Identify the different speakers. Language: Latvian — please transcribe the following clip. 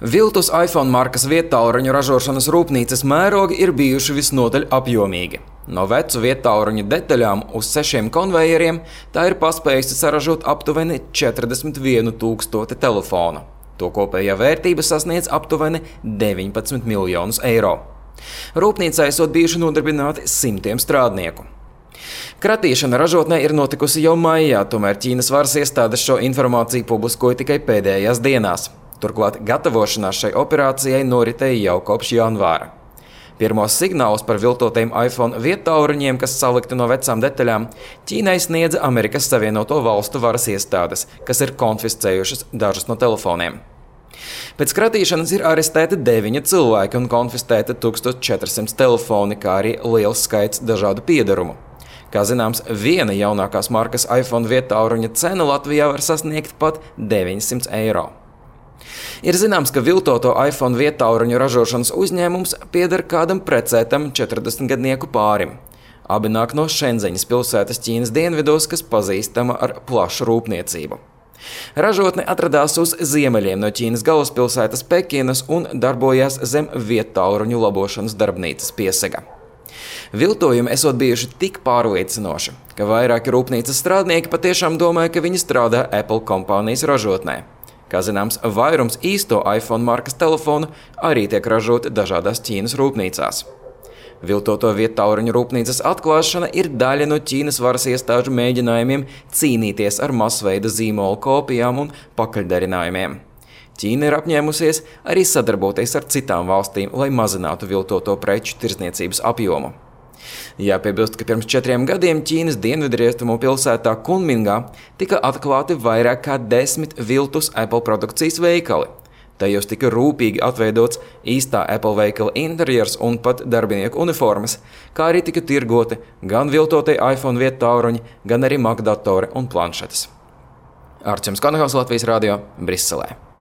Speaker 1: Viltus iPhone markas viedtālruņu ražošanas rūpnīcas mērogi ir bijuši visnotaļ apjomīgi. No vecu viedtālruņu detaļām uz 6 konvejeriem tā ir paspējusi saražot aptuveni 41 000 telefonu. To kopējā vērtība sasniedz aptuveni 19 miljonus eiro. Rūpnīcā esot bijuši nodarbināti simtiem strādnieku. Kratīšana ražotnē ir notikusi jau maijā, tomēr Ķīnas varas iestādes šo informāciju publiskoja tikai pēdējās dienās. Turklāt gatavošanās šai operācijai noritēja jau kopš janvāra. Pirmos signālus par viltotajiem iPhone viedtālruņiem, kas salikti no vecām detaļām, Ķīnai sniedza Amerikas Savienoto Valstu varas iestādes, kas ir konfiscējušas dažus no telefoniem. Pēc kratīšanas ir arestēti 9 cilvēki un konfiscēti 1400 telefoni, kā arī liels skaits dažādu piederumu. Kā zināms, viena jaunākās markas iPhone viedtālruņa cena Latvijā var sasniegt pat 900 eiro. Ir zināms, ka viltoto iPhone viedtālruņu ražošanas uzņēmums pieder kādam precētam 40-gadnieku pārim. Abi nāk no Šenzeņas pilsētas Ķīnas dienvidos, kas pazīstama ar plašu rūpniecību. Ražotne atradās uz ziemeļiem no Ķīnas galvaspilsētas Pekinas un darbojās zem viedtālruņu labošanas darbnīcas piesega. Viltojumi esot bijuši tik pārliecinoši, ka vairāki rūpnīcas strādnieki patiešām domāja, ka viņi strādā Apple kompānijas ražotnē. Kā zināms, vairums īsto iPhone markas telefonu arī tiek ražoti dažādās Ķīnas rūpnīcās. Viltoto viedtālruņu rūpnīcas atklāšana ir daļa no Ķīnas varas iestāžu mēģinājumiem cīnīties ar masveida zīmolu kopijām un pakaļdarinājumiem. Ķīna ir apņēmusies arī sadarboties ar citām valstīm, lai mazinātu viltoto preču tirdzniecības apjomu. Jāpiebilst, ka pirms 4 gadiem Ķīnas dienvidrietumu pilsētā Kunmingā tika atklāti vairāk kā 10 viltus Apple produkcijas veikali. Tajos tika rūpīgi atveidots īstā Apple veikala interjers un pat darbinieku uniformas, kā arī tika tirgoti gan viltotie iPhone viedtālruņi, gan arī Mac datori un planšetes. Arčuns Konehaus, Latvijas radio, Briselē.